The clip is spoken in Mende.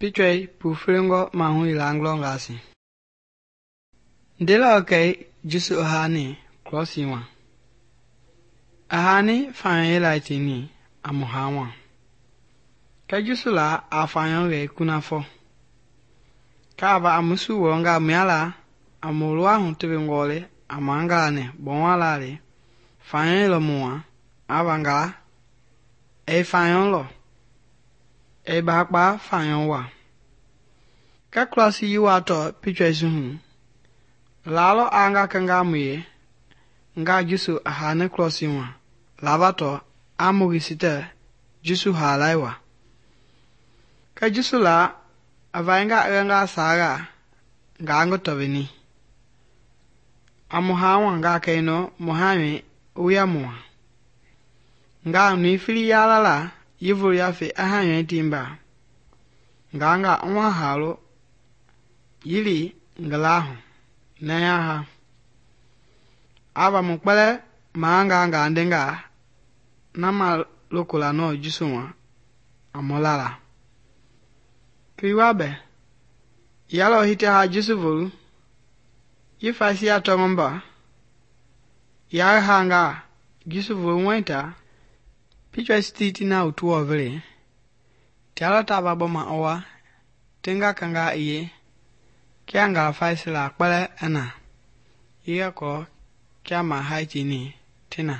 Pichɔi pufilingɔ mahu yila nglɔngaasi. Ndelɔ kɛ Jesu i haani krɔsii hu. I haani fahii yila i tieni a mu haa hu. Kɛ Jesu la a fahiɔngɛi kunafɔ. Kɛ a va a mu suu wɔlɔngaa mia la a mu luahu tewengɔ le a mangalani gbɔwala le, fahii lɔ mu waa, a vangala, ɛi fahiɔ lɔ, ɛi baakpaa fahiɔ waa. Kɛ krɔsii yi waatɔ pichɔi hu, laa lɔ a nga kɛ nga mu ye, nga Jesu a haani krɔsii hu lavatɔ a mogisitɛ Jesu haalai waa. Kɛ Jesu la a vainga i gɛngaa saagaa ngaa ngi tɔveni. A mu haa hu ngaa kɛinɔ mu haamɛi i wuya mu waa. Ngaa nui fili yaala la yi voloya fe a haamɛi tiimbaa. Nga i wa haalo yi li ngi laa hu, nɛyaha. A va mu kpɛlɛɛ maangaa ngandengaa na ma loko la nɔɔ Jesu hu a mu lala. Kiliwa bɛ, ya lɔ hiti haa Jesu volu, yi Farisia tɔngɔmba, ya i haangaa Jesu volu wɛi taa, pichɔi stii ti na wu tuwɔ vele, tia lɔ ta va gbɔma i wa, tenga kɛngaa i ye, kia ngalafaisia kpɛlɛɛ i na, yi yɛ kɔɔ kia ma hai tieni ti na.